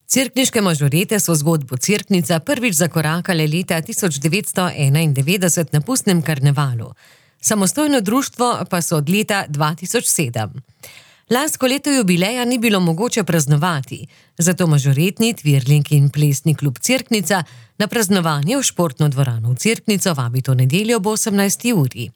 Cerkniške mažorete so zgodbo Cerknica prvič zakorakale leta 1991 na pustnem karnevalu. Samostojno društvo pa so od leta 2007. Lansko leto jubileja ni bilo mogoče praznovati, zato mažoretni Twirling in plesni klub Cerknica na praznovanje v športno dvorano v Cerknico vabi to nedeljo ob 18. uri.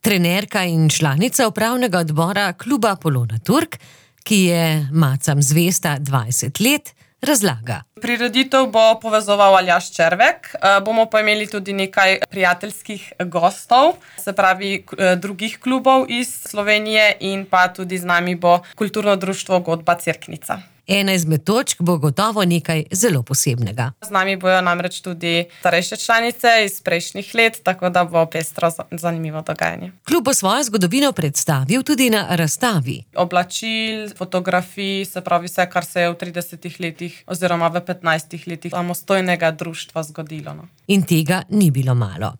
Trenerka in članica upravnega odbora kluba Polona Turk, ki je macam zvesta 20 let, razlaga. Prireditev bo povezoval Aljaž Červek, bomo pa imeli tudi nekaj prijateljskih gostov, se pravi drugih klubov iz Slovenije in pa tudi z nami bo kulturno društvo Godba Cerknica. Ena izmed točk bo gotovo nekaj zelo posebnega. Z nami bojo namreč tudi starejše članice iz prejšnjih let, tako da bo pestro zanimivo dogajanje. Klub bo svojo zgodovino predstavil tudi na razstavi. Oblačil, fotografij, se pravi vse, kar se je v 30 letih oziroma v 15 letih samostojnega društva zgodilo. In tega ni bilo malo.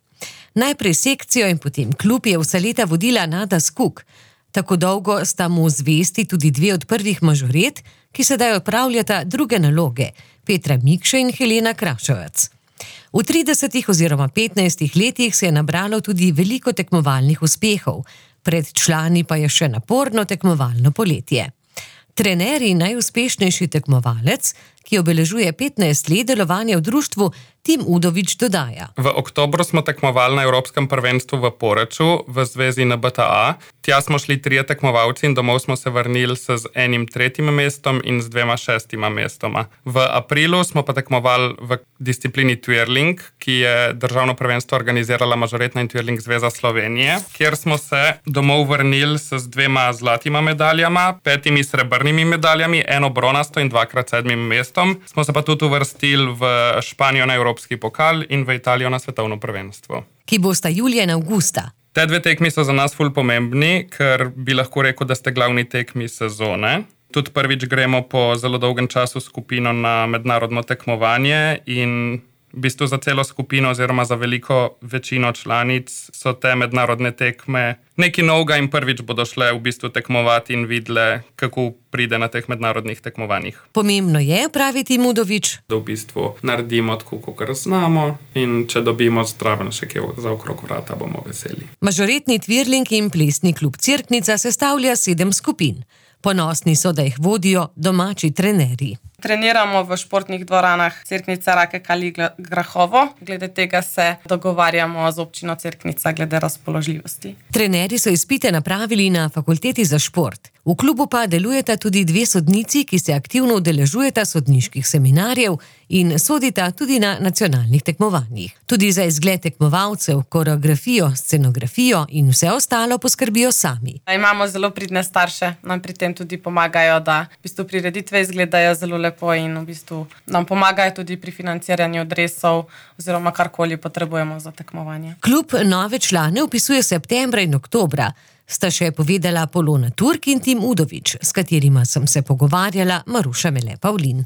Najprej sekcijo in potem klub je vsa leta vodila Nada Skuk. Tako dolgo sta mu zvesti tudi dve od prvih mažoret, ki sedaj opravljata druge naloge, Petra Mikše in Helena Krašovec. V 30 oziroma 15 letih se je nabralo tudi veliko tekmovalnih uspehov, pred člani pa je še naporno tekmovalno poletje. Trener in najuspešnejši tekmovalec, ki obeležuje 15 let delovanja v društvu, Tim Udovič dodaja. V oktobru smo tekmovali na Evropskem prvenstvu v Poreču v zvezi NBTA. Tja smo šli 3 tekmovalci in domov smo se vrnili z enim 3. mestom in z 2 6. mestoma. V aprilu smo pa tekmovali v disciplini Twirling, ki je državno prvenstvo organizirala Mažoretna in Twirling zveza Slovenije, kjer smo se domov vrnili z 2 zlatima medaljama, 5 srebrnimi medaljami, 1 bronasto in 2x 7 mestom. Smo se pa tudi uvrstili v Španijo na Evropski pokal in v Italijo na svetovno prvenstvo. Ki bosta julija in avgusta. Te 2 tekmi so za nas ful pomembni, ker bi lahko rekel, da ste glavni tekmi sezone. Tudi prvič gremo po zelo dolgem času skupino na mednarodno tekmovanje in v bistvu za celo skupino oziroma za veliko večino članic so te mednarodne tekme nekaj novega in prvič bodo šle v bistvu tekmovati in videle, kako pride na teh mednarodnih tekmovanjih. Pomembno je, pravi Tim Udovič, da v bistvu naredimo tako, kakor znamo in če dobimo zdraven še kje za okrog vrata, bomo veseli. Mažoretni Twirling in plesni klub Cerknica sestavlja 7 skupin. Ponosni so, da jih vodijo domači trenerji. Treniramo v športnih dvoranah Cerknica, Rake, Kali, Grahovo. Glede tega se dogovarjamo z občino Cerknica glede razpoložljivosti. Trenerji so izpite napravili na fakulteti za šport. V klubu pa delujeta tudi 2 sodnici, ki se aktivno udeležujeta sodniških seminarjev in sodita tudi na nacionalnih tekmovanjih. Tudi za izgled tekmovalcev, koreografijo, scenografijo in vse ostalo poskrbijo sami. Imamo zelo pridne starše, nam pri tem tudi pomagajo, da v bistvu prireditve izgledajo zelo lepo in v bistvu nam pomagajo tudi pri financiranju dresov oziroma karkoli potrebujemo za tekmovanje. Klub nove člane vpisuje septembra in oktobra, sta še povedala Polona Turk in Tim Udovič, s katerima sem se pogovarjala Maruša Mele Pavlin.